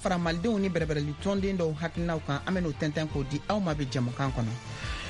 Fara malidenw ni bɛrɛbɛrɛli tɔnden dɔw hakilinaw kan, an bɛn'o tɛntɛn k'o di aw ma bi jɛmukan kɔnɔ.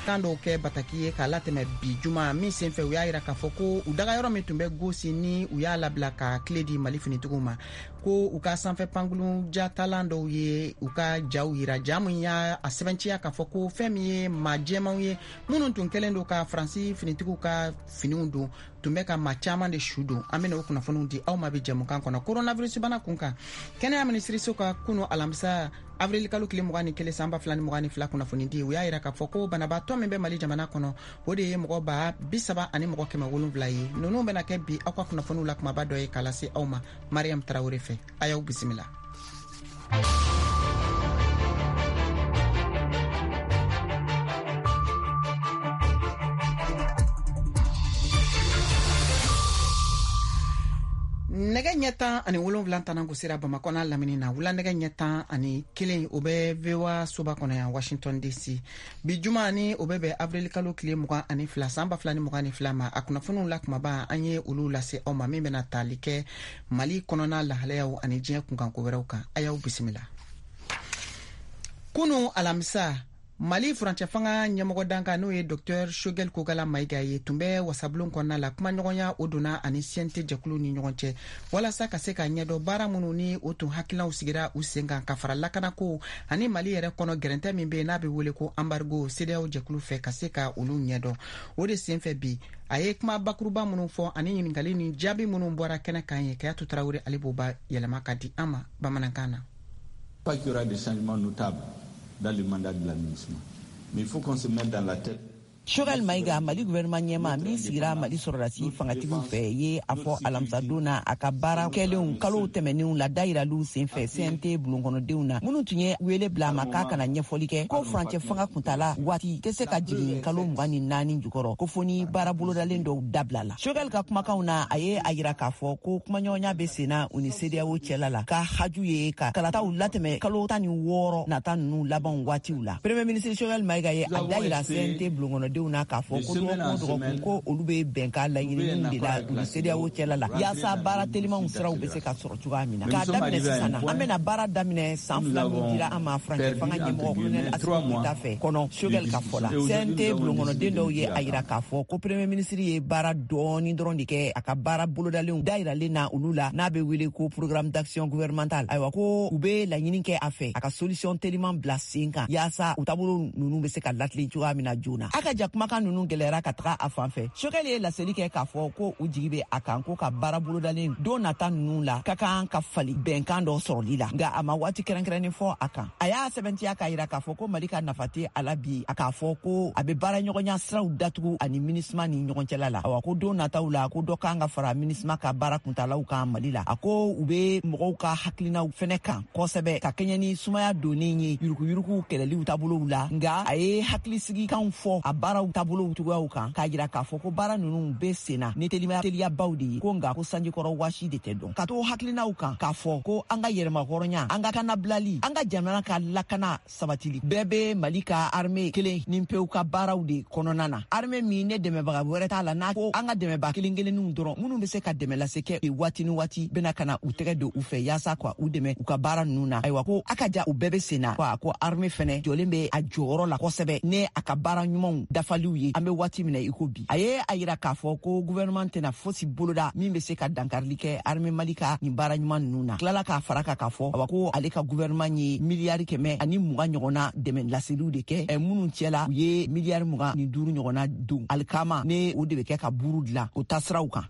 Kan dɔw kɛ bataki ye k'a latɛmɛ bi juma min senfɛ, u y'a yira k'a fɔ ko u dagayɔrɔ min tun bɛ Gosi, ni u y'a labila ka kile di Mali finitigiw ma, ko u ka sanfɛ pankurun jatalan dɔw ye u ka jaw yira, ja min y'a a sɛbɛnciya k'a fɔ ko fɛn min ye maa jɛmanw ye minnu tun kɛlen don ka Faransi finitigiw ka finiw don, tun bɛ ka maa caman de su don. An bɛna o kunnafoniw di aw ma bi jɛmukan kɔnɔ. Coronavirus bana kun kan, kɛnɛya minisiriso ka kunu alamisa avril kalo tile 21 san 2022 kunnafoni di, u y'a yira k'a fɔ ko banabaatɔ min bɛ Mali jamana kɔnɔ, o de ye mɔgɔ 30 700 ye. Ninnu bɛna kɛ bi aw ka kunnafoniw la kumaba dɔ ye k'a lase aw ma Mariam Tarawele fɛ. A y'aw bisimila. Nɛgɛ ɲɛ 17 tanan gosira Bamakɔ n'a lamini na. Wula nɛgɛ ɲɛ 11, o bɛ VOA soba kɔnɔ yan Washington DC. Bi juma ni o bɛ bɛn avril kalo tile 22 san 2022 ma, a kunnafoniw la kumaba, an ye olu lase aw ma, min bɛna tali kɛ Mali kɔnɔna lahalayaw ani diɲɛ kunkanko wɛrɛw kan. A y'aw bisimila. Kunu alamisa, Mali furancɛ fanga ɲɛmɔgɔ dankan, n'o ye Dr Choguel Kokala Mayiga ye, tun bɛ wasabulon kɔnɔna la. Kumaɲɔgɔnya o donna ani CNT jɛkulu ni ɲɔgɔn cɛ walasa ka se ka ɲɛdɔn baara minnu ni o tun hakilinaw sigira u sen kan, ka fara lakanako ani Mali yɛrɛ kɔnɔ gɛrɛntɛ min bɛ yen n'a bɛ wele ko embargo CEDEAO jɛkulu fɛ, ka se ka olu ɲɛdɔn. O de senfɛ bi, a ye kuma bakuruba minnu fɔ ani ɲininkali ni jaabi minnu bɔra kɛnɛ kan ye, Kayatu Tarawele, ale b'o ba yɛlɛma ka di an ma bamanankan na. Pas qu'il y aura des changements notables dans le mandat de la MINUSMA. Mais il faut qu'on se mette dans la tête. Choguel Maïga, Mali gouvernement ɲɛma min sigira Mali sɔrɔdasi fangatigiw fɛ, ye a fɔ alamisadon na a ka baara kɛlenw kalow tɛmɛnenw la dayiraliw senfɛ CNT bulonkɔnɔdenw na minnu tun ye wele bila a ma k'a kana ɲɛfɔli kɛ, ko furancɛ fanga kuntala waati tɛ se ka jigin kalo 24 jukɔrɔ, ko fo ni baara bolodalen dɔw dabila la. Choguel ka kumakanw na, a ye a yira k'a fɔ ko kumaɲɔgɔnya bɛ senna u ni CEDEAO cɛla la, ka haju ye ka kalataw latɛmɛ kalo 16 nata ninnu labanw waatiw la. Premier ministre Choguel Maïga ye a dayira CNT bulonkɔnɔdenw na k'a fɔ ko dɔgɔkun o dɔgɔkun, ko olu bɛ bɛnkan laɲininiw de la u ni CEDEAO cɛla la, yaasa baara telimanw siraw bɛ se ka sɔrɔ cogoya min na. K'a daminɛ sisan na, an bɛna baara daminɛ san 2 min dira an ma furancɛ fanga ɲɛmɔgɔ colonel Assimi Goïta fɛ kɔnɔ. Choguel ka fɔ la, CNT bulonkɔnɔden dɔw ye a yira k'a fɔ ko premier ministre ye baara dɔɔni dɔrɔn de kɛ a ka baara bolodalenw dayiralen na olu la, n'a bɛ wele ko programme d'action gouvernemental. Ayiwa, ko u bɛ laɲini kɛ a fɛ a ka solution teliman bila sen kan, yaasa u taabolo ninnu bɛ se ka latilen cogoya min na joona. A ka ja kumakan ninnu gɛlɛyara ka taga a fan fɛ. Choguel ye laseli kɛ k'a fɔ ko u jigi bɛ a kan ko ka baara bolodalen don nata ninnu la ka kan ka fali bɛnkan dɔ sɔrɔli la, nka a ma waati kɛrɛnkɛrɛnnen fɔ a kan. A y'a sɛbɛntiya k'a yira k'a fɔ ko Mali ka nafa tɛ a la bi a k'a fɔ ko a bɛ baara ɲɔgɔnya siraw datugu ani MINUSMA ni ɲɔgɔn cɛla la. Awa, ko don nataw la, ko dɔ kan ka fara MINUSMA ka baara kuntalaw kan Mali la. A ko u bɛ mɔgɔw ka hakilinaw fɛnɛ kan kosɛbɛ ka kɛɲɛ ni sumaya donnen ye yuruguyurugu kɛlɛliw taabolow la, nka a ye hakilisigi fɔ a baaraw taabolow cogoyaw kan, k'a jira k'a fɔ ko baara ninnu bɛ senna ni teliya teliyabaw de ye, ko nka ko sanjikɔrɔ waasi de tɛ dɔn. Ka to hakilinaw kan k'a fɔ ko an ka yɛrɛmahɔrɔnya, an ka kanabilali, an ka jamana ka lakana sabatili bɛɛ bɛ Mali ka armée kelen ni pewu ka baaraw de kɔnɔna na, armée min ne dɛmɛbaga wɛrɛ t'a la, n'a ko an ka dɛmɛba kelen kelenninw dɔrɔn minnu bɛ se ka dɛmɛ lase kɛ waati ni waati bɛna ka na u tɛgɛ don u fɛ yaasa ka u dɛmɛ u ka baara ninnu na. Ayiwa, ko a ka ja u bɛɛ bɛ sen na, ko armée fɛnɛ jɔlen bɛ a jɔyɔrɔ la kosɛbɛ ne a ka baara ɲumanw dafaliw ye an bɛ waati min na i ko bi. A ye a yira k'a fɔ ko gouvernement tɛna fosi boloda min bɛ se ka dankarili kɛ armée Mali ka nin baara ɲuman ninnu na. Tilala k'a fara kan k'a fɔ, awa, ko ale ka gouvernement ye miliyari 120 ɲɔgɔnna dɛmɛ laseliw de kɛ, minnu cɛla u ye miliyari 25 ɲɔgɔnna don alikama ne o de bɛ kɛ ka buru dilan o taasiraw kan.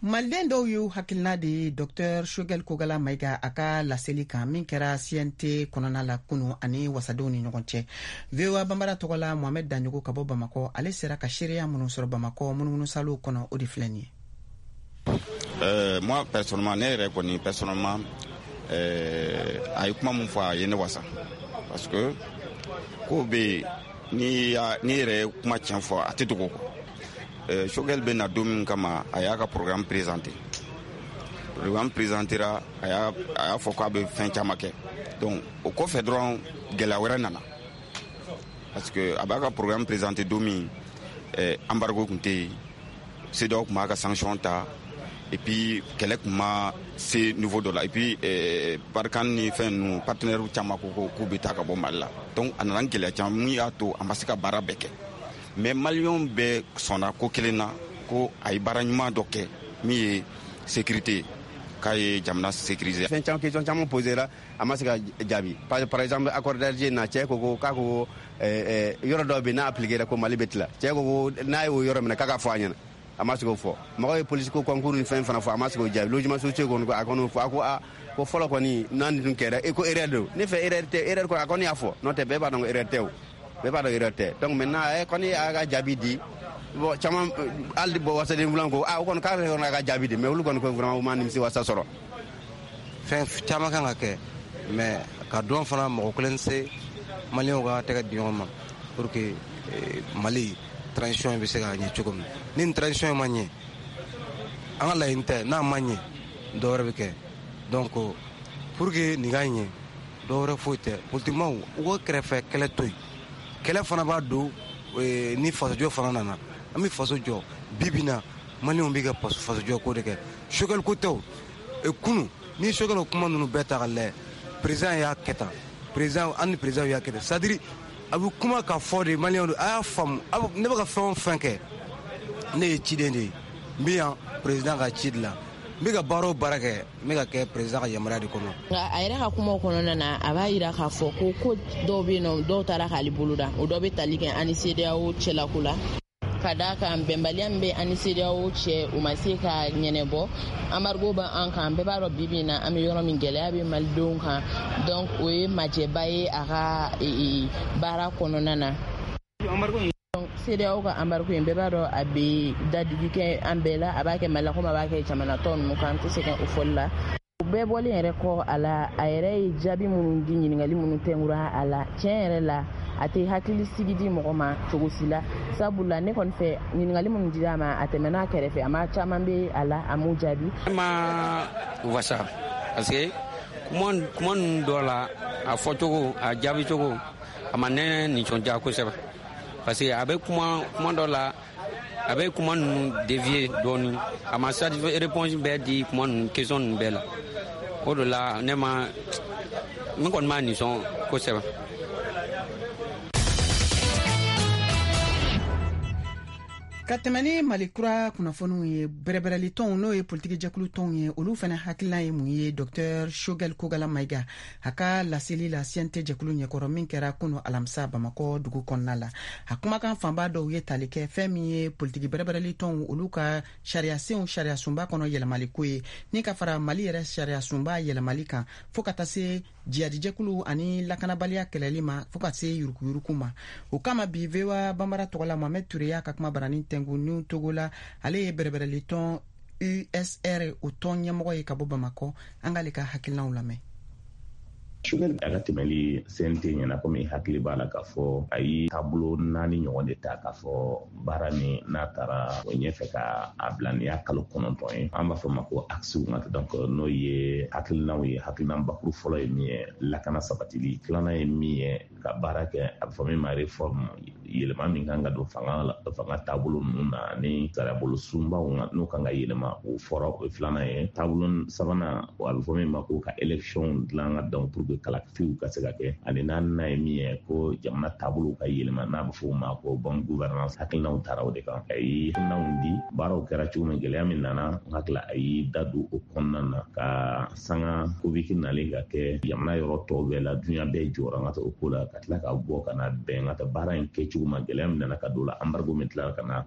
Maliden dɔw y'u hakilina de ye Dr Choguel Kokala Mayiga a ka laseli kan min kɛra CNT kɔnɔna la kunu ani wasadenw ni ɲɔgɔn cɛ. VOA Banbara tɔgɔ la, Mohamed Daɲogo ka bɔ Bamakɔ, ale sera ka seereya minnu sɔrɔ Bamakɔ munumunusalow kɔnɔ, o de filɛ nin ye. Moi personnellement, ne yɛrɛ kɔni personnellement, a ye kuma mun fɔ, a ye ne wasa, parce que ko bɛ yen, n'i yɛrɛ ye kuma tiɲɛ fɔ, a tɛ dogo kɔ. Choguel bɛ na don min kama, a y'a ka programme présenté. Programme présentéra, a y'a fɔ k'a bɛ fɛn caman kɛ. Donc o kɔfɛ dɔrɔn, gɛlɛya wɛrɛ nana, parce que a b'a ka programme présenté don min, embargo tun tɛ yen, CEDEAO tun b'a ka sanction ta. Et puis kɛlɛ tun ma se niveau dɔ la, et puis Barkhane ni fɛn ninnu, partenaire caman ko k'u bɛ taa ka bɔ Mali la. Donc a nana gɛlɛya caman mun y'a to a ma se ka baara bɛɛ kɛ. Mais maliyɛnw bɛɛ sɔnna ko kelen na, ko a ye baara ɲuman dɔ kɛ min ye sécurité ye, k'a ye jamana sécuriser. Fɛn caman, question caman posé la, a ma se ka jaabi. Par exemple, accord d'Alger na, cɛ ko k'a ko yɔrɔ dɔw bɛ n'a appliqué ko Mali bɛ tila. Cɛ ko n'a y'o yɔrɔ minɛ k'a ka fɔ a ɲɛna, a ma se k'o fɔ. Mɔgɔw ye polisi ko concours ni fɛn fana fɔ, a ma se k'o jaabi. Logement sociaux kɔni, a kɔni fɔ, a ko a ko fɔlɔ kɔni n'a nin tun kɛra, e ko erreur don. Ne fɛ erreur tɛ, erreur kɔni a kɔni y'a fɔ, n'o tɛ bɛɛ b'a dɔn ko erreur tɛ o, bɛɛ b'a dɔn erreur tɛ. Donc maintenant a kɔni y'a ka jaabi di. Bon, caman hali bɔ wasaden filan ko a o kɔni k'ale kɔni a ka jaabi di, mais olu kɔni ko vraiment u ma nimisi wasa sɔrɔ. Fɛn caman kan ka kɛ, mais ka dɔn fana mɔgɔ kelen se maliyɛnw ka tɛgɛ di ɲɔgɔn ma pour que Mali transition bɛ se ka ɲɛ cogo min. Ni nin transition ma ɲɛ, an ka laɲini tɛ, n'a ma ɲɛ dɔ wɛrɛ bɛ kɛ. Donc pour que nin ka ɲɛ, dɔ wɛrɛ foyi tɛ, politikimaw u ka kɛrɛfɛ kɛlɛ to yen. Kɛlɛ fana b'a don ni fasojɔ fana nana, an bɛ faso jɔ. Bi bi na maliyɛnw bɛ ka fasojɔ ko de kɛ, Choguel ko tɛ o. Kunun ni Choguel kuma ninnu bɛɛ ta ka lajɛ, président y'a kɛ tan, président an ni président y'a kɛ tan, c'est à dire a bɛ kuma ka fɔ de maliyɛnw a y'a faamu. Ne bɛ ka fɛn o fɛn kɛ, ne ye ciden de ye, n bɛ yan président ka ci de la, n bɛ ka baara o baara kɛ, n bɛ ka kɛ président ka yamaruya de kɔnɔ. Nka a yɛrɛ ka kumaw kɔnɔna na, a b'a yira k'a fɔ ko dɔw bɛ yen nɔ, dɔw taara k'ale bolo da, o dɔ bɛ tali kɛ an ni CEDEAO cɛlako la. Ka d'a kan bɛnbaliya min bɛ an ni CEDEAO cɛ, u ma se ka ɲɛnɛbɔ. Embargo bɛ an kan, bɛɛ b'a dɔn bi bi in na an bɛ yɔrɔ min, gɛlɛya bɛ malidenw kan. Donc o ye majɛba ye a ka baara kɔnɔna na. CEDEAO ka embargo in, bɛɛ b'a dɔn a bɛ dadigi kɛ an bɛɛ la, a b'a kɛ Mali la komi a b'a kɛ jamana tɔ ninnu kan, an tɛ sɛgɛn o fɔli la. O bɛɛ bɔlen yɛrɛ kɔ a la, a yɛrɛ ye jaabi minnu di, ɲininkali minnu tɛngura a la, tiɲɛ yɛrɛ la a tɛ hakili sigi di mɔgɔ ma cogo si la. Sabula ne kɔni fɛ, ɲininkali minnu dira a ma, a tɛmɛna a kɛrɛfɛ, a ma caman bɛ a la, a m'u jaabi. Ne ma wasa parce que kuma ninnu dɔ la, a fɔcogo, a jaabicogo, a ma ne nisɔndiya kosɛbɛ. Parce que a bɛ kuma dɔ la, a bɛ kuma ninnu dévier dɔɔni, a ma satisfait réponse bɛɛ di kuma ninnu, question ninnu bɛɛ la. O de la ne ma, n kɔni ma nisɔn kosɛbɛ. Ka tɛmɛ ni Mali kura kunnafoniw ye, bɛrɛbɛrɛli tɔnw n'o ye politiki jɛkulu tɔnw ye, olu fana hakilina ye mun ye Dr Choguel Kokalla Maïga a ka laseli la CNT jɛkulu ɲɛkɔrɔ min kɛra kunu alamisa Bamakɔ dugu kɔnɔna la. A kumakan fanba dɔw ye tali kɛ fɛn min ye politiki bɛrɛbɛrɛli tɔnw olu ka sariyasenw sariyasunba kɔnɔ yɛlɛmali ko ye, ni ka fara Mali yɛrɛ sariyasunba yɛlɛmali kan, fo ka taa se jihadijɛkulu ani lakanabaliya kɛlɛli ma, fo ka se yurukuyuruku ma. O kama bi VOA Bambara tɔgɔ la, Mohamed Touré y'a ka kuma barani tɛnku ni Togo la. Ale ye bɛrɛbɛrɛli tɔn USR o tɔn ɲɛmɔgɔ ye ka bɔ Bamakɔ. An k'ale ka hakilinaw lamɛn. Choguel a ka tɛmɛli CNT ɲɛna, komi hakili b'a la k'a fɔ a ye taabolo 4 ɲɔgɔn de ta k'a fɔ baara min n'a taara o ɲɛfɛ ka a bila nin y'a kalo 9 ye, an b'a fɔ ma ko axe. Donc n'o ye hakilinaw ye, hakilina bakuru fɔlɔ ye min ye lakana sabatili, filanan ye min ye ka baara kɛ a bɛ fɔ min ma réforme, yɛlɛma min kan ka don fanga taabolo ninnu na ni sariyabolo sunbaw n'o kan ka yɛlɛma, o fɔra, o ye filanan ye. Taabolo sabanan, a bɛ fɔ min ma ko ka élection dilan ka dɔn pour que kalafiliw ka se ka kɛ, ani naaninan ye min ye ko jamana taabolow ka yɛlɛma n'a bɛ fɔ o ma ko bonne gouvernance. Hakilinaw taara o de kan, a ye hakilinaw di, baaraw kɛra cogo min, gɛlɛya min nana, n hakili a y'i da don o kɔnɔna na ka sanga Covid nalen ka kɛ jamana yɔrɔ tɔw bɛɛ la, duɲa bɛɛ jɔra n ka o ko la, ka tila ka bɔ ka na bɛn ka taa baara in kɛcogo ma, gɛlɛya min nana ka don la, embargo min tilala ka na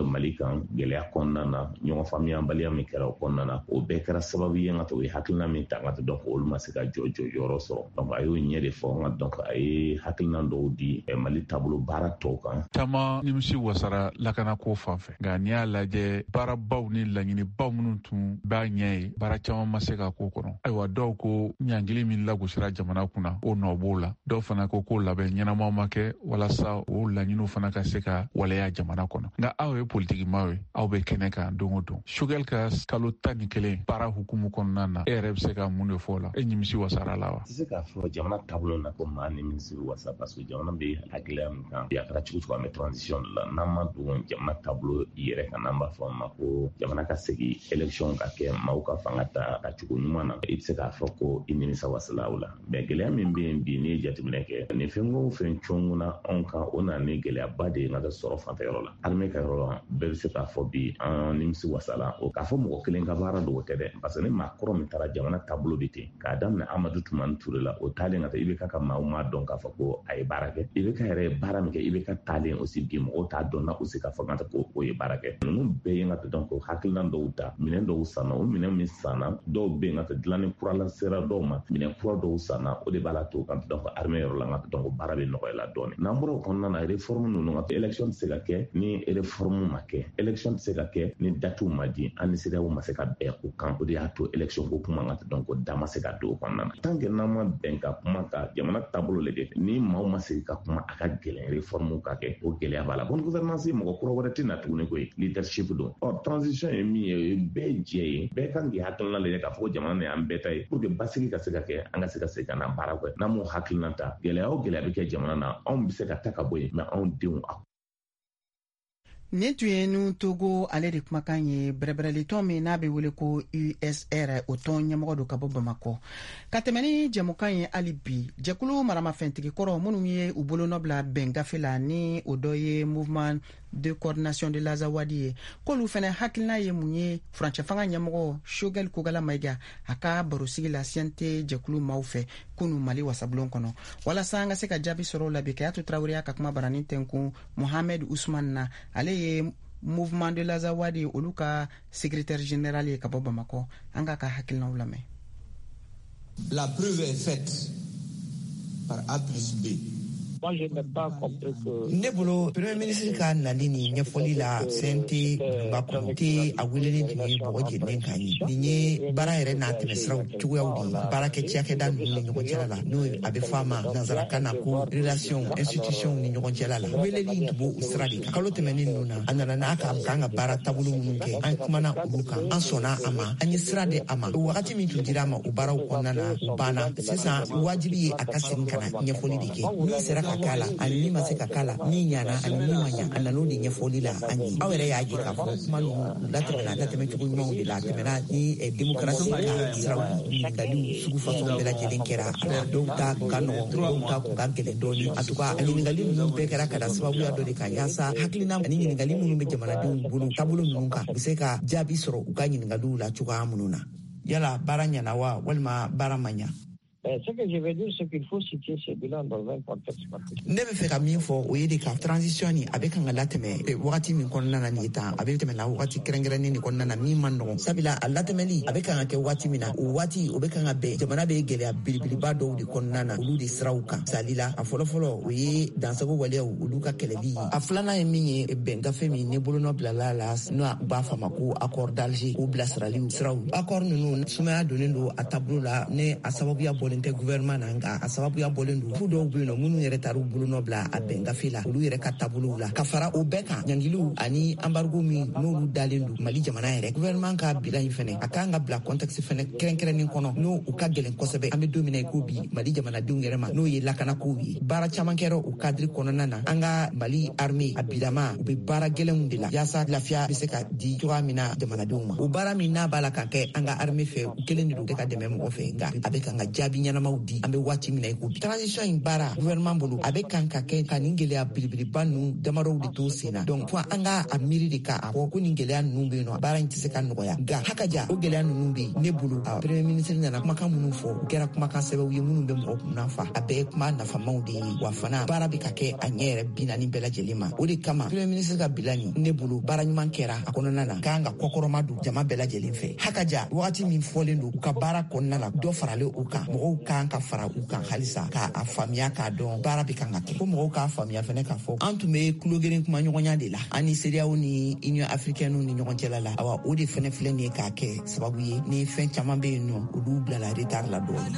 Mali kan, gɛlɛya kɔnɔna na, ɲɔgɔn faamuyabaliya min kɛra o kɔnɔna na, o bɛɛ kɛra sababu ye n ka to o ye hakilina min ta n ka to donc olu ma se ka jɔyɔrɔ sɔrɔ. Donc a y'o ɲɛ de fɔ n ka donc a ye hakilina dɔw di Mali taabolo baara tɔw kan. Caman nimisi wasara lakanako fan fɛ, nka n'i y'a lajɛ baarabaw ni laɲinibaw minnu tun b'a ɲɛ ye, baara caman ma se ka k'o kɔnɔ. Ayiwa, dɔw ko ɲangili min lagosira jamana kunna, o nɔ b'o la. Dɔw fana ko labɛn ɲɛnamaw ma kɛ walasa o O laɲiniw fana ka se ka waleya jamana kɔnɔ. Nka aw ye politikimaw ye, aw bɛ kɛnɛ kan don o don. Choguel ka kalo 11 baara hukumu kɔnɔna na, e yɛrɛ bɛ se ka mun de fɔ o la? E nimisi wasara la wa? Tɛ se k'a fɔ jamana taabolo na ko maa nimisi wasa, parce que jamana bɛ hakilila min kan bi, a kɛra cogo cogo, an bɛ transition de la. N'an ma don jamana taabolo yɛrɛ kan, n'an b'a fɔ a ma ko jamana ka segin, élection ka kɛ, maaw ka fanga ta ka cogo ɲuman na, i bɛ se k'a fɔ ko i nimisa wasala o la. Mais gɛlɛya min bɛ yen bi, n'i ye jateminɛ kɛ, nin fɛn o fɛn cɔnguna anw kan, o nana ni gɛlɛyaba de ye n ka sɔrɔ fanfɛ yɔrɔ la, armée ka yɔrɔ la. Bɛɛ bɛ se k'a fɔ bi an nimisi wasala o k'a fɔ mɔgɔ kelen ka baara don, o tɛ dɛ, parce que ni maa kɔrɔ min taara, jamana taabolo bɛ ten k'a daminɛ Amadu Tumani Ture la, o taalen ka taa IBK ka maaw m'a dɔn k'a fɔ ko a ye baara kɛ. IBK yɛrɛ ye baara min kɛ, IBK taalen aussi bi, mɔgɔw t'a dɔn na aussi k'a fɔ ka ko o ye baara kɛ. Ninnu bɛɛ ye n ka dɔn ko hakilina dɔw ta, minɛn dɔw sanna, o minɛn min sanna, dɔw bɛ yen ka dilanni kura la sera dɔw ma, minɛn kura dɔw sanna, o de b'a la to ka dɔn ko armée yɔrɔ la, n ka dɔn ko baara bɛ nɔgɔya la dɔɔnin. N'an bɔra o kɔnɔna na, réforme ninnu, ka élection tɛ se ka kɛ ni réforme ma kɛ, élection tɛ se ka kɛ ni datew ma di, an ni CEDEAO ma se ka bɛn o kan. O de y'a to élection ko kuma, n ka dɔn ko da ma se ka don o kɔnɔna na. Tant que n'an ma bɛn ka kuma ka jamana taabolo lajɛ, ni maaw ma sigi ka kuma, a ka gɛlɛn réforme ka kɛ, o gɛlɛya b'a la. Bonne gouvernance, mɔgɔ kura wɛrɛ tɛ na tuguni koyi, leadership don. Ɔ transition ye min ye, o ye bɛɛ jɛ ye, bɛɛ kan k'i hakilina lajɛ k'a fɔ ko jamana nin y'an bɛɛ ta ye, pour que basigi ka se ka kɛ, an ka se ka segin ka na baara kɛ. N'an m'o hakilina ta, gɛlɛya o gɛlɛya bɛ kɛ jamana na, anw bɛ se ka ta ka bɔ yen, mais anw denw a Nin tun ye Nouhoum Togo ale de kumakan ye, bɛrɛbɛrɛlitɔn min n'a bɛ wele ko USR, o tɔn ɲɛmɔgɔ don ka bɔ Bamakɔ. Ka tɛmɛ ni jɛmukan ye hali bi, jɛkulu maramafɛntigi kɔrɔ minnu ye u bolonɔ bila bɛn gafe la, ni o dɔ ye Mouvement de coordination de l'Azawad ye, k'olu fɛnɛ hakilina ye mun ye furancɛ fanga ɲɛmɔgɔ Choguel Kokalla Maïga a ka barosigi la CNT jɛkulu maaw fɛ kunu Mali wasabulon kɔnɔ? Walasa an ka se ka jaabi sɔrɔ o la bi, Kayatu Tarawele y'a ka kuma barani tɛnkun Mohamed Usman na, ale ye Mouvement de l'Azawad olu ka secrétaire général ye ka bɔ Bamakɔ. An k'a ka hakilinaw lamɛn. La preuve est faite par A plus B. Ne bolo, premier ministre ka nali ni ɲɛfɔli la CNT bulonba kɔnɔ te, a welelen tun ye bɔgɔ jeninen kan ye. Nin ye baara yɛrɛ n'a tɛmɛsiraw cogoyaw de ye baarakɛ cakɛda ninnu ni ɲɔgɔn cɛla la, n'o a bɛ fɔ a ma nansarakan na ko relation institution ni ɲɔgɔn cɛla la. Weleli in tun b'o sira de kan. Kalo tɛmɛnen ninnu na, a nana n'a ka kan ka baara taabolo minnu kɛ, an kumana olu kan, an sɔnna a ma, an ye sira di a ma. Wagati min tun dira a ma o baaraw kɔnɔna na, o banna. Sisan wajibi ye a ka segin ka na ɲɛfɔli de kɛ, min sera ka k'a la ani min ma se ka k'a la, min ɲana ani min ma ɲa. A nan'o de ɲɛfɔli la an ye. Aw yɛrɛ y'a ye k'a fɔ kuma ninnu latɛmɛna latɛmɛ cogo ɲumanw de la, a tɛmɛna ni démocratie ka siraw. Ɲininkaliw sugu fasɔn bɛɛ lajɛlen kɛra a la, dɔw ta kun ka nɔgɔn, dɔw ta kun ka gɛlɛn dɔɔni. En tout cas, a ɲininkali ninnu bɛɛ kɛra ka da sababuya dɔ de kan, yaasa hakilina ani ɲininkali minnu bɛ jamanadenw bolo taabolo ninnu kan, u bɛ se ka jaabi sɔrɔ u ka ɲininkaliw la cogoya minnu na. Yala baara ɲɛna wa, walima baara ma ɲa? Ce que je veux dire, c'est qu'il faut situer ce bilan dans un contexte particulier. Ne bɛ fɛ ka min fɔ, o ye de ka transition ni a bɛ kan ka latɛmɛ wagati min kɔnɔna na nin ye tan, a bɛ tɛmɛ na wagati kɛrɛnkɛrɛnnen de kɔnɔna na min man nɔgɔn, sabula a latɛmɛli a bɛ kan ka kɛ waati min na, o waati o bɛ kan ka bɛn jamana bɛ gɛlɛya belebeleba dɔw de kɔnɔna na, olu de siraw kan. Misali la, a fɔlɔfɔlɔ, o ye dansago waleyaw olu ka kɛlɛli ye. A filanan ye min ye, bɛn gafe min ni bolonɔ bilala la, n'o u b'a fɔ a ma ko accord d'Alger, o bilasiraliw siraw. Accord ninnu, sumaya donnen don a taabolo la, ni a sababuya bɔlen tɛ gouvernement na, nka a sababuya bɔlen don fu dɔw bɛ yen nɔ minnu yɛrɛ taar'u bolonɔ bila a bɛn gafe la, olu yɛrɛ ka taabolow la. Ka fara o bɛɛ kan, ɲangiliw ani embargo min n'olu dalen don Mali jamana yɛrɛ. Gouvernement ka bilan in fɛnɛ, a kan ka bila contexte fɛnɛ kɛrɛnkɛrɛnnen kɔnɔ, n'o u ka gɛlɛn kosɛbɛ an bɛ don min na i ko bi Mali jamanadenw yɛrɛ ma, n'o ye lakanakow ye. Baara caman kɛra o cadre kɔnɔna na. An ka Mali armée a bilama, u bɛ baara gɛlɛnw de la yaasa lafiya bɛ se ka di cogoya min na jamanadenw ma. O baara min n'a b'a la ka kɛ an ka armée fɛ, u kelen de don tɛ ka dɛmɛ mɔgɔ fɛ, nka a bɛ kan ka jaabi ɲɛnamaw di an bɛ waati min na i ko bi. Transition in baara, gouvernement bolo, a bɛ kan ka kɛ ka nin gɛlɛya belebeleba ninnu damadɔw de to sen na. Donc fo an ka a miiri de k'a fɔ ko nin gɛlɛya ninnu bɛ yen nɔ, baara in tɛ se ka nɔgɔya, nka hakaja o gɛlɛya ninnu bɛ yen. Ne bolo, a premier ministre nana kumakan minnu fɔ, u kɛra kumakan sɛbɛw ye minnu bɛ mɔgɔ kunna fa, a bɛɛ ye kuma nafamaw de ye, wa fana baara bɛ ka kɛ a ɲɛ yɛrɛ 40 bɛɛ lajɛlen ma. O de kama premier ministre ka bilan nin, ne bolo, baara ɲuman kɛra a kɔnɔna na, k'an ka kɔkɔrɔma don jama bɛɛ lajɛlen fɛ. Hakaja wagati min fɔlen don u ka baara kɔnɔna la, dɔ faralen o kan, mɔgɔw mɔgɔw kan ka fara u kan halisa k'a faamuya k'a dɔn baara bɛ kan ka kɛ, ko mɔgɔw k'a faamuya fɛnɛ k'a fɔ an tun bɛ tulogeren kumaɲɔgɔnya de la an ni CEDEAO ni Union africaine ni ɲɔgɔn cɛla la. Awa, o de fɛnɛ filɛ nin ye k'a kɛ sababu ye ni fɛn caman bɛ yen nɔ, olu bilala retard la dɔɔni.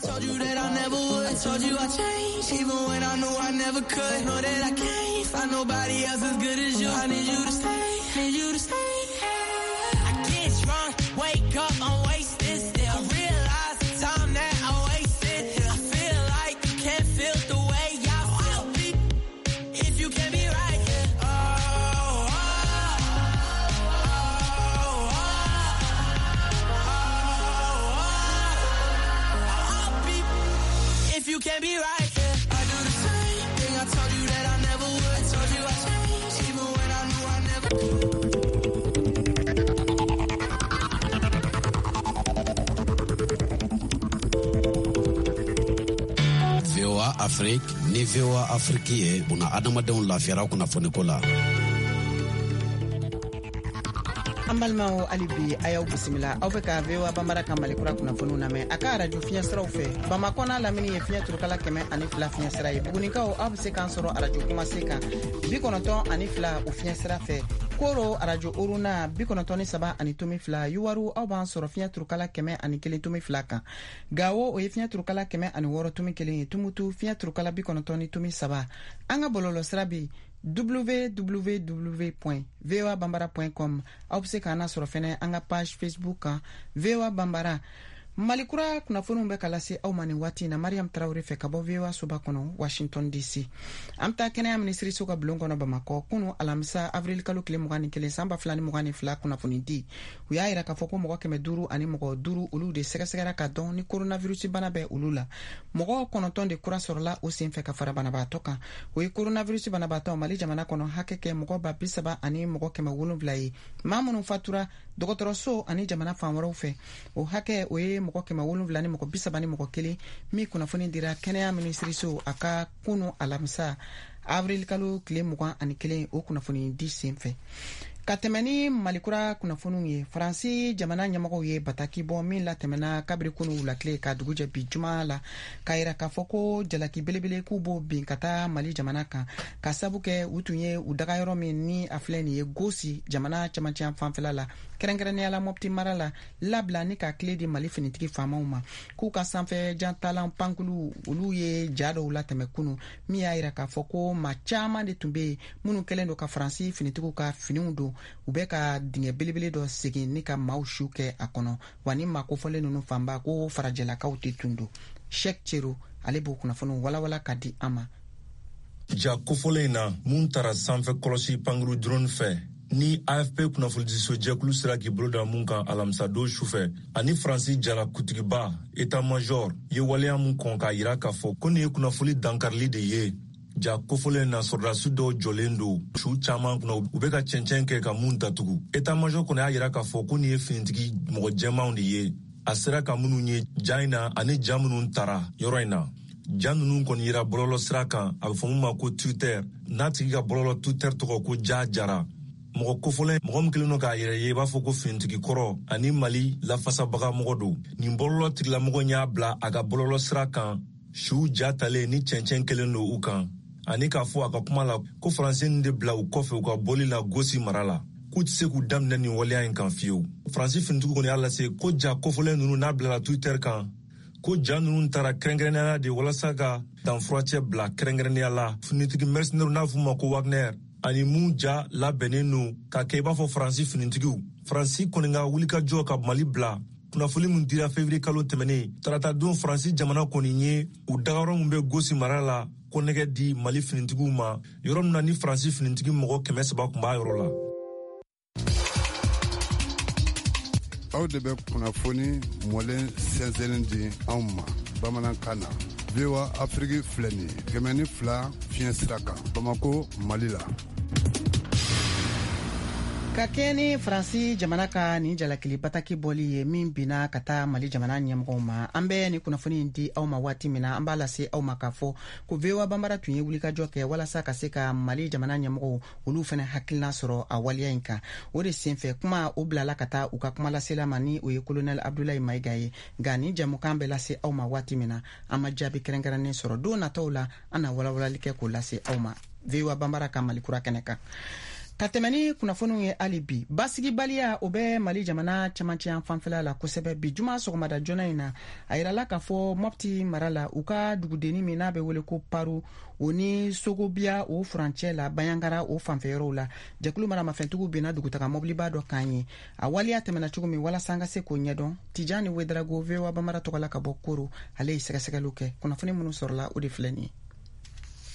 Told you that I never would. Told you I changed, even when I knew I never could. Know that I can't find nobody else as good as you. I need you to stay, need you to stay. I get drunk, wake up, I'm wasted still. I realize the time that I wasted here. I feel like you can't feel the way I feel. If you can't be right here. Oh, oh, oh, oh, I'll be if you can't be right here. I do the same thing I told you that I never would. Told you I changed, even when I knew I never. VOA Afrique ni VOA Afrique ye buna adamadenw lafiyara kunnafoniko la. An balimaw, hali bi a y'aw bisimila. Aw bɛ ka VOA Banbara ka Malikura kunnafoniw lamɛn a ka arajo fiɲɛ siraw fɛ. Bamakɔ n'a lamini ye fiɲɛ turukala 102 fiɲɛ sira ye. Bugunikaw, aw bɛ se k'an sɔrɔ arajo Kumase kan 92 o fiɲɛ sira fɛ. Koro, arajo Oruna 93.2. Yuwaru, aw b'an sɔrɔ fiɲɛ turukala 101.2 kan. Gawo, o ye fiɲɛ turukala 106.1 ye. Tumutu, fiɲɛ turukala 90.3. An ka bɔlɔlɔ sira bi www.voabambara.com. Aw bɛ se k'an lasɔrɔ fɛnɛ an ka page Facebook kan, VOA Bambara. Malikura kunnafoniw bɛ ka lase aw ma nin waati na Mariam Tarawele fɛ ka bɔ VOA soba kɔnɔ, Washington DC. An bɛ taa kɛnɛya minisiriso ka bulon kɔnɔ Bamakɔ. Kunu alamisa, avril kalo tile 21 san 2022, kunnafoni di u y'a yira k'a fɔ ko mɔgɔ 505 olu de sɛgɛsɛgɛra ka dɔn ni coronavirus bana bɛ olu la. Mɔgɔ 9 de kura sɔrɔla o sen fɛ ka fara banabaatɔ kan. O ye coronavirus banabaatɔ Mali jamana kɔnɔ hakɛ kɛ mɔgɔ 30 000 ni mɔgɔ 700 ye. Maa minnu fatura dɔgɔtɔrɔso ani jamana fan wɛrɛw fɛ, o hakɛ o ye mɔgɔ 700 ni mɔgɔ 31 min kunnafoni dira kɛnɛya minisiriso a ka kunu alamisa, avril kalo tile 21, o kunnafoni di sen fɛ. Ka tɛmɛ ni Malikura kunnafoniw ye, Faransi jamana ɲɛmɔgɔw ye bataki bɔ min latɛmɛna kabiri kunu wulatile ka dugujɛ bi juma la, k'a yira k'a fɔ ko jalaki belebele k'u b'o bin ka taa Mali jamana kan, ka sabu kɛ u tun ye u daga yɔrɔ min ni a filɛ nin ye Gosi jamana camancɛ fanfɛla la, kɛrɛnkɛrɛnnenya la Mɔpti mara la, labila ni ka tile di Mali finitigi faamaw ma, k'u ka sanfɛ jantalan pankulu olu ye ja dɔw latɛmɛ kunu min y'a yira k'a fɔ ko maa caman de tun be yen minnu kɛlen don ka Faransi finitigiw ka finiw don, u bɛ ka dingɛ belebele dɔ segin ni ka maaw su kɛ a kɔnɔ. Wa ni maa kofɔlen ninnu fanba ko farajɛlakaw de tun don. Shek Cero, ale b'o kunnafoniw walawala ka di an ma. Ja kofɔlen in na mun tara sanfɛ kɔlɔsi pankuru drone fɛ ni AFP kunnafonidiso jɛkulu sera k'i bolo da mun kan alamisadon sufɛ, ani Faransi jala kutigiba état major ye waleya mun kɔn k'a yira k'a fɔ ko nin ye kunnafoni dankarili de ye. Ja kofɔlen na, sɔrɔdasi dɔw jɔlen don su caaman kunna, u bɛ ka cɛncɛn kɛ ka mun datugu. État major kɔni y'a yira k'a fɔ ko nin ye finitigi mɔgɔ jɛmanw de ye, a sera ka minnu ye ja in na ani ja minnu tara yɔrɔ in na. Ja ninnu kɔni yira bɔlɔlɔ sira kan, a bɛ fɔ mun ma ko Twitter, n'a tigi ka bɔlɔlɔ Twitter tɔgɔ ko Ja Jara. Mɔgɔ kofɔlen, mɔgɔ min kelen don k'a yɛrɛ ye i b'a fɔ ko finitigi kɔrɔ ani Mali lafasabaga mɔgɔ don, nin bɔlɔlɔ tigilamɔgɔ y'a bila a ka bɔlɔlɔ sira kan suw ja talen ni cɛncɛn kelen don u kan, ani k'a fɔ a ka kuma la ko Faransi nin de bila u kɔfɛ u ka bɔli la Gosi mara la, k'u tɛ se k'u daminɛ nin waleya in kan fiyewu. Faransi finitigiw kɔni y'a lase ko ja kofɔlen ninnu n'a bilala Twitter kan, ko ja ninnu taara kɛrɛnkɛrɛnnenya la de walasa ka danfuracɛ bila kɛrɛnkɛrɛnnenya la finitigi mercenaires n'a f'u ma ko Wagner, ani mun ja labɛnnen don ka kɛ i b'a fɔ Faransi finitigiw. Faransi kɔni ka wulikajɔ ka Mali bila, kunnafoni min dira fevrier kalo tɛmɛnen tarata don, Faransi jamana kɔni ye u dagayɔrɔ min bɛ Gosi mara la kɔnɛgɛ di Mali finitigiw ma, yɔrɔ min na ni Faransi finitigi mɔgɔ 300 tun b'a yɔrɔ la. Aw de bɛ kunnafoni mɔlen sɛnsɛnnin di anw ma bamanankan na. VOA Afiriki filɛ nin ye 102 fiɲɛ sira kan, Bamako, Mali la. Ka kɛɲɛ ni Faransi jamana ka nin jalakili bataki bɔli ye min binna ka taa Mali jamana ɲɛmɔgɔw ma, an bɛ nin kunnafoni in di aw ma waati min na, an b'a lase aw ma k'a fɔ ko VOA Banbara tun ye wulikajɔ kɛ walasa ka se ka Mali jamana ɲɛmɔgɔw olu fana hakilina sɔrɔ a waleya in kan. O de senfɛ kuma o bilala ka taa u ka kumalasela ma, ni o ye Kolonɛl Abdulayi Mayiga ye. Nka nin jɛmukan bɛ lase aw ma waati min na, an ma jaabi kɛrɛnkɛrɛnnen sɔrɔ. Don nataw la, an na walawalali kɛ k'o lase aw ma VOA Banbara ka Mali kura kɛnɛ kan. Ka tɛmɛ ni kunnafoniw ye hali bi, basigibaliya o bɛ Mali jamana cɛmancɛ yan fanfɛla la kosɛbɛ. Bi juma sɔgɔmada joona in na, a yirala k'a fɔ Mɔpti mara la, u ka dugudenni min n'a bɛ wele ko Paru, o ni Sogobiya o furancɛ la, Baɲangara o fanfɛyɔrɔw la, jɛkulu maramafɛntigiw binna dugutaga mɔbiliba dɔ kan ye. A waleya tɛmɛna cogo min, walasa an ka se k'o ɲɛdɔn, Tijani Wedarago, VOA Banbara tɔgɔ la ka bɔ Koro, ale ye sɛgɛsɛgɛliw kɛ. Kunnafoni minnu sɔrɔla, o de filɛ nin ye.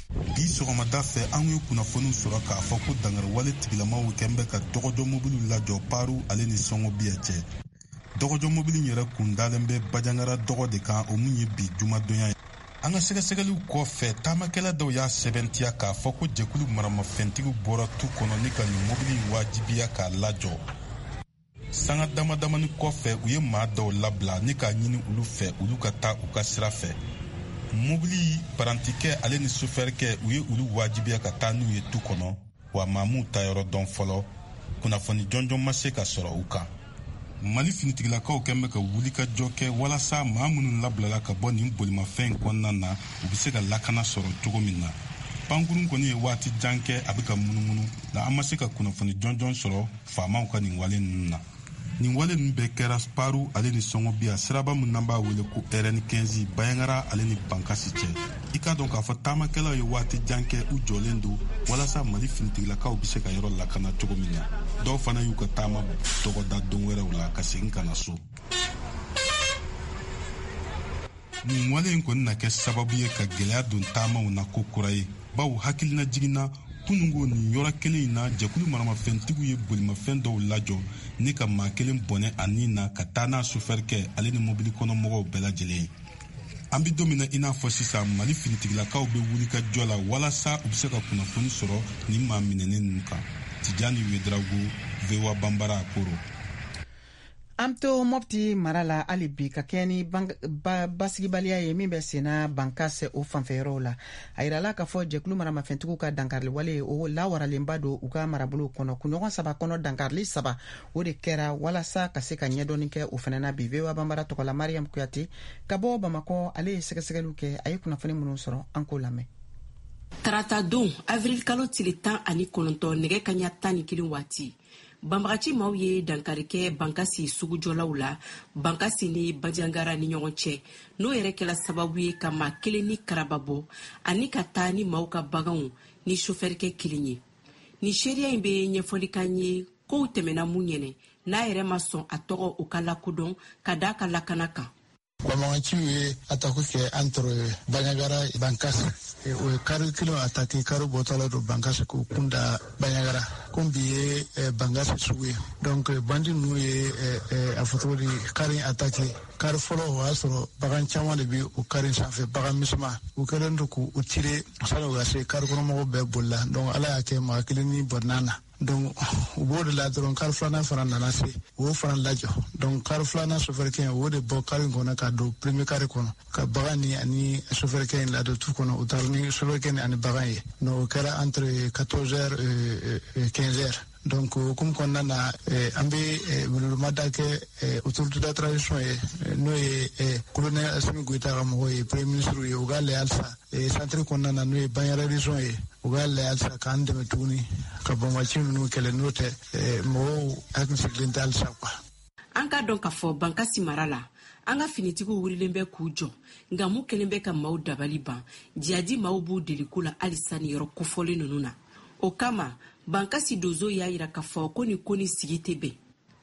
Bi sɔgɔmada fɛ, an ye kunnafoniw sɔrɔ k'a fɔ ko dankariwale tigilamaw kɛn bɛ ka dɔgɔjɔ mobiliw lajɔ Paru ale ni Sɔngɔbiya cɛ. Dɔgɔjɔ mobili yɛrɛ kun dalen bɛ Bajangara dɔgɔ de kan, o mun ye bi jumadonya ye. An ka sɛgɛsɛgɛliw kɔfɛ, taamakɛla dɔw y'a sɛbɛntiya k'a fɔ ko jɛkulu maramafɛntigiw bɔra tu kɔnɔ ni ka nin mobili in wajibiya k'a lajɔ. Sanga dama damani kɔfɛ, u ye maa dɔw labila ni k'a ɲini olu fɛ olu ka taa u ka sira fɛ. Mobili parantikɛ ale ni sofɛrikɛ, u ye olu wajibiya ka taa n'u ye tu kɔnɔ, wa maa m'u ta yɔrɔ dɔn fɔlɔ. Kunnafoni jɔnjɔn ma se ka sɔrɔ u kan. Mali finitigilakaw kɛn bɛ ka wulikajɔ kɛ walasa maa minnu labilala ka bɔ nin bolimafɛn in kɔnɔna na, u bɛ se ka lakana sɔrɔ cogo min na. Pankurun kɔni ye waati jan kɛ a bɛ ka munumunu, nka an ma se ka kunnafoni jɔnjɔn sɔrɔ faamaw ka nin wale ninnu na. Nin wale ninnu bɛɛ kɛra Paru ale ni Sɔngɔbiya siraba min n'an b'a wele ko RN 15, Bayangara ale ni Bankasi cɛ. I k'a dɔn k'a fɔ taamakɛlaw ye waati jan kɛ u jɔlen don walasa Mali finitigilakaw bɛ se ka yɔrɔ lakana cogo min na. Dɔw fana y'u ka taama dɔgɔda don wɛrɛw la ka segin ka na so. Nin wale in kɔni na kɛ sababu ye ka gɛlɛya don taamaw na ko kura ye, bawo hakilina jiginna kunungo nin yɔrɔ kelen in na, jɛkulu maramafɛntigiw ye bolimafɛn dɔw lajɔ ni ka maa kelen bɔnɛ a ni na ka taa n'a sofɛrikɛ ale ni mobili kɔnɔmɔgɔw bɛɛ lajɛlen ye. An bɛ don min na i n'a fɔ sisan, Mali finitigilakaw bɛ wulikajɔ la walasa u bɛ se ka kunnafoni sɔrɔ nin maa minɛnen ninnu kan. Tijani Wedrago, VOA Banbara, Koro. An to Mɔpti mara la hali bi, ka kɛɲɛ ni basigibaliya ye min bɛ senna Bankase o fanfɛyɔrɔw la. A yirala k'a fɔ jɛkulu maramafɛntigiw ka dankarili wale o lawaralenba don u ka marabolow kɔnɔ. Kunɲɔgɔn 3 kɔnɔ, dankarili 3 o de kɛra. Walasa ka se ka ɲɛdɔnni kɛ o fana na bi, VOA Banbara tɔgɔ la, Mariam Kuyate ka bɔ Bamakɔ, ale ye sɛgɛsɛgɛliw kɛ. A ye kunnafoni minnu sɔrɔ, an k'o lamɛn. Tarata don, avril kalo tile 19, nɛgɛ kaɲa 11 waati, banbagaci maaw ye dankari kɛ Bankasi sugujɔlaw la, Bankasi ni Bajangara ni ɲɔgɔn cɛ, n'o yɛrɛ kɛla sababu ye ka maa kelen ni karaba bɔ ani ka taa ni maaw ka baganw ni sofɛrikɛ kelen ye. Nin seereya in bɛ ɲɛfɔli kan ye kow tɛmɛna mun ɲɛnɛ, n'a yɛrɛ ma sɔn a tɔgɔ o ka lakodɔn ka d'a ka lakana kan. Banbaganciw ye attaque kɛ entre Bandiagara Bankas. O ye kari kelen attaque, kari bɔtɔla don Bankas k'u kun da Bandiagara. Komi bi ye Bankas sugu ye, donc bandi ninnu ye a fɔ cogo di, kari attaque. Kari fɔlɔ, o y'a sɔrɔ bagan caman de bɛ o kari sanfɛ, bagan misɛnman. U kɛlen don k'u tirer sani u ka se, kari kɔnɔmɔgɔw bɛɛ bolila. Donc Ala y'a kɛ maa kelen ni bɔnna na. Donc u b'o de la dɔrɔn, kari filanan fana nana se, u y'o fana lajɔ. Donc kari filanan sofɛrikɛ, o de bɔ kari in kɔnɔ ka don premier kari kɔnɔ ka bagan ni ani sofɛrikɛ in ladon tu kɔnɔ. U taara ni sofɛrikɛ ni ani bagan ye. Donc o kɛra entre 14 heures et 15 heures. Donc o hukumu kɔnɔna na, an bɛ weleweleda kɛ autorité de la transition ye, n'o ye colonel Assimi Goïta ka mɔgɔw ye, premier ministre ye, u k'a lajɛ halisa centre kɔnɔna na, n'o ye Bandiagara région ye, u k'a lajɛ halisa k'an dɛmɛ tuguni ka banbagaci ninnu kɛlɛ. N'o tɛ, mɔgɔw hakili sigilen tɛ halisa quoi. An k'a dɔn k'a fɔ Bankasi mara la, an ka finitigiw wulilen bɛ k'u jɔ, nka mun kɛlen bɛ ka maaw dabali ban, jihadi maaw b'u deliko la halisa ni yɔrɔ kofɔlen ninnu na. O kama, Bankasi donso y'a yira k'a fɔ ko nin ko ni sigi tɛ bɛn,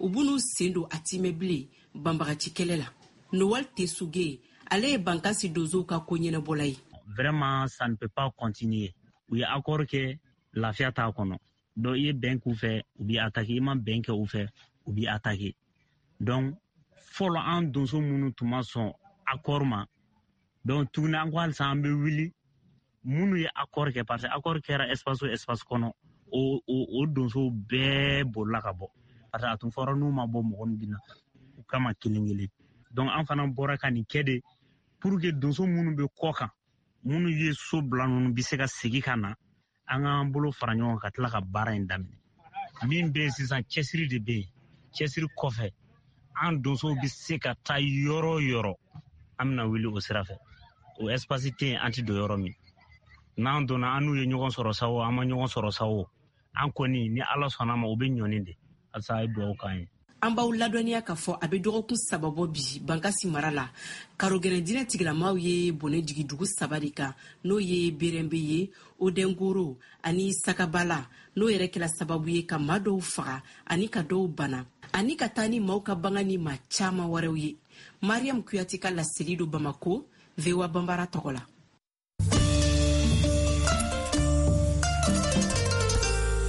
u b'u sen don a timɛ bilen banbagaci kɛlɛ la. Nowal Tesuge, ale ye Bankasi donsow ka ko ɲɛnabɔla ye. Vraiment, ça ne peut pas continuer. U ye accord kɛ, lafiya t'a kɔnɔ. Donc i ye bɛn k'u fɛ, u b'i attaquer, i ma bɛn kɛ u fɛ, u b'i attaquer. Donc fɔlɔ, an donso minnu tun ma sɔn accord ma, donc tuguni an ko halisa an bɛ wuli minnu ye accord kɛ, parce que accord kɛra espace o espace kɔnɔ. o donsow bɛɛ bolila ka bɔ, parce que a tun fɔra n'u ma bɔ mɔgɔ min bɛ na u kama kelen kelen. Donc an fana bɔra ka nin kɛ de pour que donso minnu bɛ kɔ kan, minnu ye so bila ninnu bɛ se ka segin ka na, an k'an bolo fara ɲɔgɔn kan ka tila ka baara in daminɛ. Min bɛ yen sisan, cɛsiri de bɛ yen. Cɛsiri kɔfɛ, an donsow bɛ se ka taa yɔrɔ o yɔrɔ, an bɛna wuli o sira fɛ. O espace tɛ yen an tɛ don yɔrɔ min. N'an donna, an n'u ye ɲɔgɔn sɔrɔ sa o, an ma ɲɔgɔn sɔrɔ sa o, an kɔni ni Ala sɔnna ma, o bɛ ɲɔni de. Halisa a ye dugawu k'an ye. An b'aw ladɔnniya k'a fɔ a bɛ dɔgɔkun 3 bɔ bi, Bankasi mara la, karogɛlɛn diinɛ tigilamaw ye bɔnɛ jigi dugu 3 de kan, n'o ye Berɛnbe ye, Odɛngoro ani Sakabala, n'o yɛrɛ kɛla sababu ye ka maa dɔw faga ani ka dɔw bana ani ka taa ni maaw ka bagan ni maa caman wɛrɛw ye. Mariam Kuyate ka laseli don Bamako, VOA Banbara tɔgɔ la.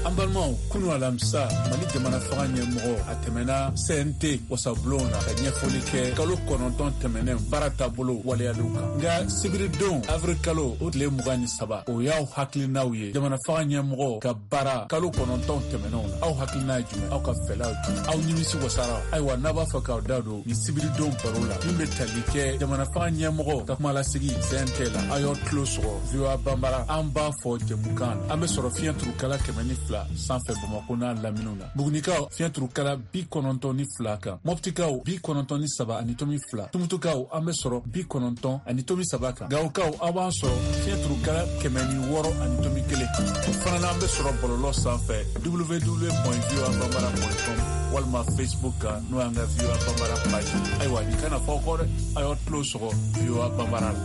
An balimaw, kunu alamisa, Mali jamana fanga ɲɛmɔgɔ a tɛmɛna CNT wasabulon na ka ɲɛfɔli kɛ kalo 9 tɛmɛnen baara taabolo waleyaliw kan. Nka sibiridon avril kalo o tile 23, o y'aw hakilinaw ye jamana fanga ɲɛmɔgɔ ka baara kalo 9 tɛmɛnenw na. Aw hakilina ye jumɛn? Aw ka fɛlaw jumɛn? Aw nimisi wasara? Ayiwa, n'a b'a fɛ k'aw da don ni sibiridon baro la min bɛ tali kɛ jamana fanga ɲɛmɔgɔ ka kumalasigi CNT la, aw y'aw tulo sɔgɔ VOA Banbara. An b'a fɔ jɛmukan na, an bɛ sɔrɔ fiɲɛ turukala 102 sanfɛ Bamakɔ n'a laminiw na. Bugunikaw fiɲɛ turukala 92 kan, Mɔptikaw 93.2, Tumutukaw an bɛ sɔrɔ 90.3 kan, Gawokaw aw b'an sɔrɔ fiɲɛ turukala 106.1. O fana na, an bɛ sɔrɔ bɔlɔlɔ sanfɛ www.voabambara.com walima Facebook kan, n'o y'an ka VOA Banbara page. Ayiwa, nin kana fɔ aw kɔ dɛ, aw y'aw tulo sɔgɔ VOA Banbara la.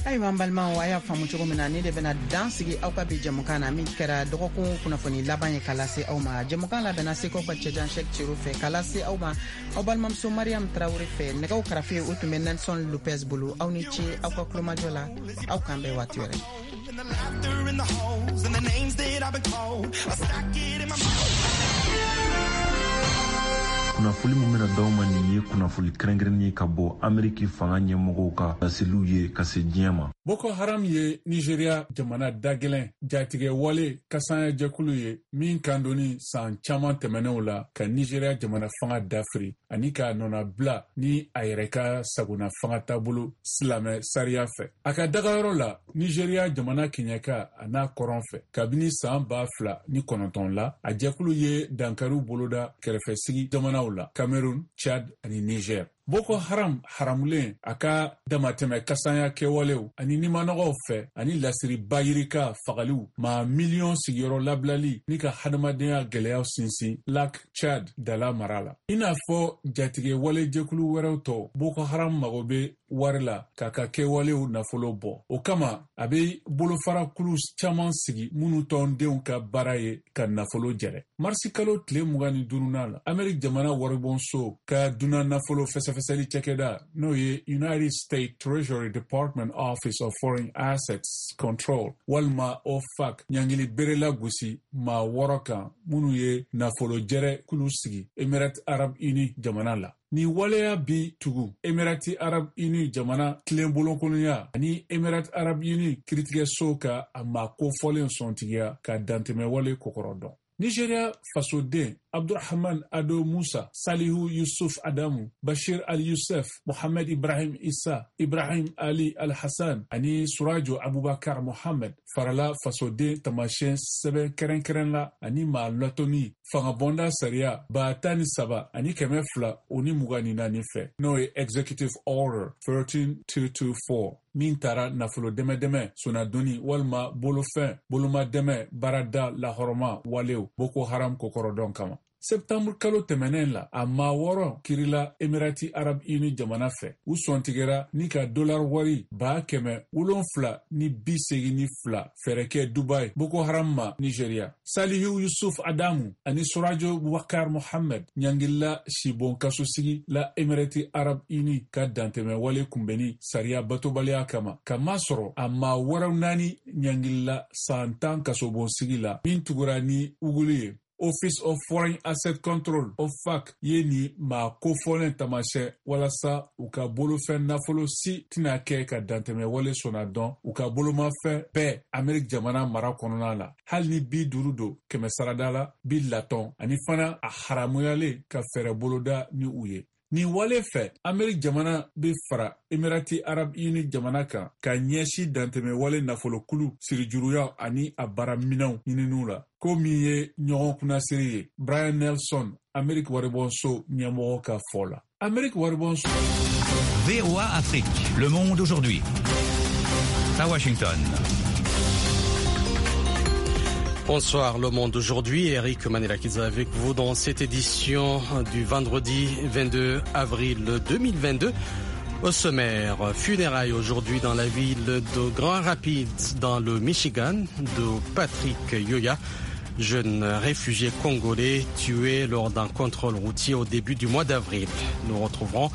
Ayiwa, an balimaw, a y'a faamu cogo min na, ne de bɛna dan sigi aw ka bi jɛmukan na, min kɛra dɔgɔkun kunnafoni laban ye ka lase aw ma. Jɛmukan labɛnna Segukaw ka cɛjan Shɛk Cero fɛ ka lase aw ma aw balimamuso Mariam Tarawele fɛ. Nɛgɛw karafe o tun bɛ Nelson Lopez bolo. Aw ni ce aw ka kulomajɔ la, aw k'an bɛn waati wɛrɛ. Kunnafoli min bɛna d'aw ma nin ye kunnafoli kɛrɛnkɛrɛnnen ye ka bɔ Ameriki fanga ɲɛmɔgɔw ka laseliw ye ka se diɲɛ ma. Boko Haram ye Nigeria jamana dagɛlɛn jatigɛ wale kasanya jɛkulu ye min kan donni san caman tɛmɛnenw la ka Nigeria jamana fanga dafiri ani k'a nɔnabila ni a yɛrɛ ka sagona fanga taabolo silamɛ sariya fɛ. A ka dagayɔrɔ la Nigeria jamana kɛɲɛka a n'a kɔrɔn fɛ, kabini san 2009 la, a jɛkulu ye dankariw boloda kɛrɛfɛsigi jamanaw la, Cameroun, Chad ani Niger. Boko Haram haramulen a ka damatɛmɛ kasanya kɛwalew ani nimanɔgɔw fɛ ani lasiri bayirika fagaliw, maa miliyɔn sigiyɔrɔ labilali ni ka hadamadenya gɛlɛyaw sinsin Lac Chad dala mara la. I n'a fɔ jatigɛ wale jɛkulu wɛrɛw tɔw, Boko Haram mago bɛ wari la k'a ka kɛwalew nafolo bɔ. O kama, a bɛ bolofarakulu caman sigi minnu tɔndenw ka baara ye ka nafolo jɛrɛ. Marisi kalo tile 25nan la, Ameriki jamana waribonso ka dunan nafolo fɛsɛfɛsɛli cakɛda, n'o ye United States Treasury Department Office of Foreign Assets Control walima OFAC, ɲangili bere lagosi maa 6 kan minnu ye nafolo jɛrɛ kulu sigi Emirati Arab Uni jamana la. Nin waleya bi tugu Emirati Arab Uni jamana tilenbolonkolonya ani Emirati Arab Uni kiritigɛso ka a maa kofɔlen sɔntigiya ka dantɛmɛwale kɔkɔrɔ dɔn. Nigeria fasoden Abdurrahman Ado Musa, Salihu Yusuf Adamu, Bashir Al Yusuf, Mohamed Ibrahim Isa, Ibrahim Ali Al Hassan ani Surajo Abubakar Mohamed farala fasoden taamasiyɛn sɛbɛn kɛrɛnkɛrɛn la ani maa latɔni fangabɔnda sariya 13224 fɛ, n'o ye Executive Order 13224, min taara nafolo dɛmɛdɛmɛ, sonnadonni walima bolofɛn bolomadɛmɛ baarada lahɔrɔma walew Boko Haram kokɔrɔdɔn kama. Septembre kalo tɛmɛnen la, a maa 6 kirila Emirati Arab Uni jamana fɛ. U sɔntigɛra ni ka dolar wari 782 fɛɛrɛ kɛ Dubai Boko Haram ma Nigeria. Salihu Yusuf Adamu ani Surajo Bubakar Mohammed ɲangilila sibon kasosigi la Emirati Arab Uni ka dantɛmɛ wale kunbɛnni sariya batobaliya kama, k'a masɔrɔ a maa wɛrɛw 4 ɲangilila san 10 kasobonsigi la min tugura ni uguli ye. Office of Foreign Asset Control, OFAC, ye nin maa kofɔlen taamasiyɛn walasa u ka bolofɛn nafolo si tɛna kɛ ka dantɛmɛ wale sɔnna dɔn u ka bolomafɛn bɛɛ Amerique jamana mara kɔnɔna la, hali ni 50 don 100 sarada la bi latɔn, ani fana a haramuyalen ka fɛɛrɛ boloda ni u ye. Nin wale fɛ, Amerique jamana bɛ fara Emirati Arab Uni jamana kan ka ɲɛsin dantɛmɛ wale nafolokulu sirijuruyaw ani a baaraminɛnw ɲininiw la, ko min ye ɲɔgɔn kunnasiri ye, Brian Nelson, Amerique waribonso ɲɛmɔgɔ ka fɔ la. Amerique waribonso. VOA Afrique, le monde aujourd'hui. À Washington. Bonsoir le monde aujourd'hui, Eric Manelakiza avec vous dans cette édition du vendredi 22 avril 2022. Au sommaire, funérailles aujourd'hui dans la ville de Grand Rapids dans le Michigan de Patrick Yoya, jeune réfugié congolais tué lors d'un contrôle routier au début du mois d'avril. Nous retrouverons